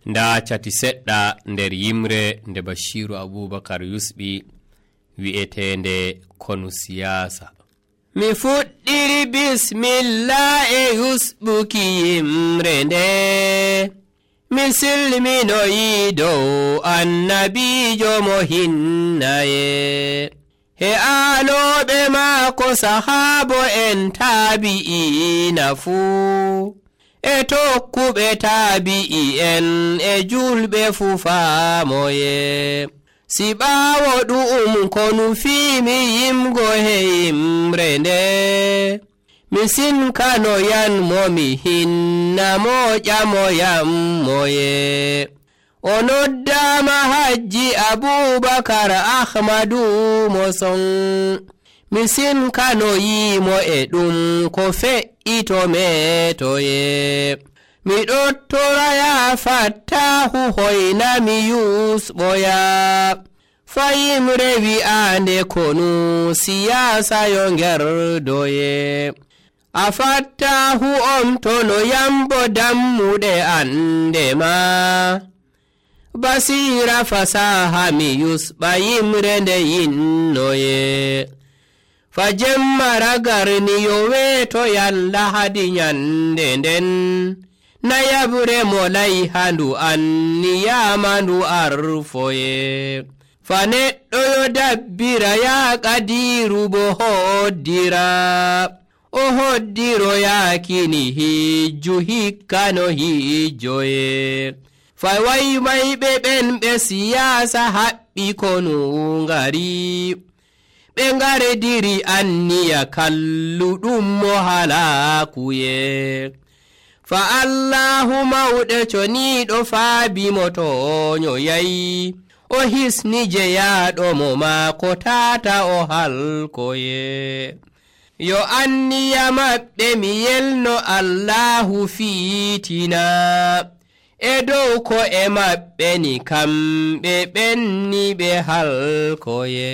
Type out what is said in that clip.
nda cati seɗɗa nder yimre nde Bashiru Abubakar yusɓi wi'etende konu siyasa. Mi fuɗɗiri bismillah e yusɓuki yimre nde, mi silminoyi dow annabijo mo hinnaye, he aaloɓe maako sahaabo en taabi'ina fuu, e tokkuɓe taabi'i en e julɓe fuu faamoye. Si ɓaawo ɗu'um ko nufiimi yimgo he yimre nde, mi sinkanoyanmo mi hinnamo ƴamoyanmoye. O noddaama Hajji Abubakar Ahmadu mo son, mi sinkanoyimo e ɗum ko fe'ito metoye. Mi ɗottoraya Fattahu hoynami yusɓoya, fayimre wi'ande konu siyasa yo ngerdoye. A Fattahu on tono yambo dammuɗe andema, basira fasaha mi yusɓa yimre nde yinnoye. Fa jemma ragarniyo weeto yalla hadi nyande nden, nayabre mo layhandu anniyamandu arfoye. Fa neɗɗo yo dabbira ya Qadiru bo hoddira, o hoddiro yakini hijju hikkano hijjoye. Fa waymayɓe ɓen ɓe siyasa haɓɓi konu ngari, ɓe ngarediri anniya kalluɗum mo halakuye. Fa Allahu mawɗe coniɗo faabimo toñoyayi, o hisni jeyaɗo mo maako tata o halkoye. Yo anniya maɓɓe mi yelno Allahu fiitina, e dow ko e maɓɓe ni kamɓe ɓenni ɓe halkoye.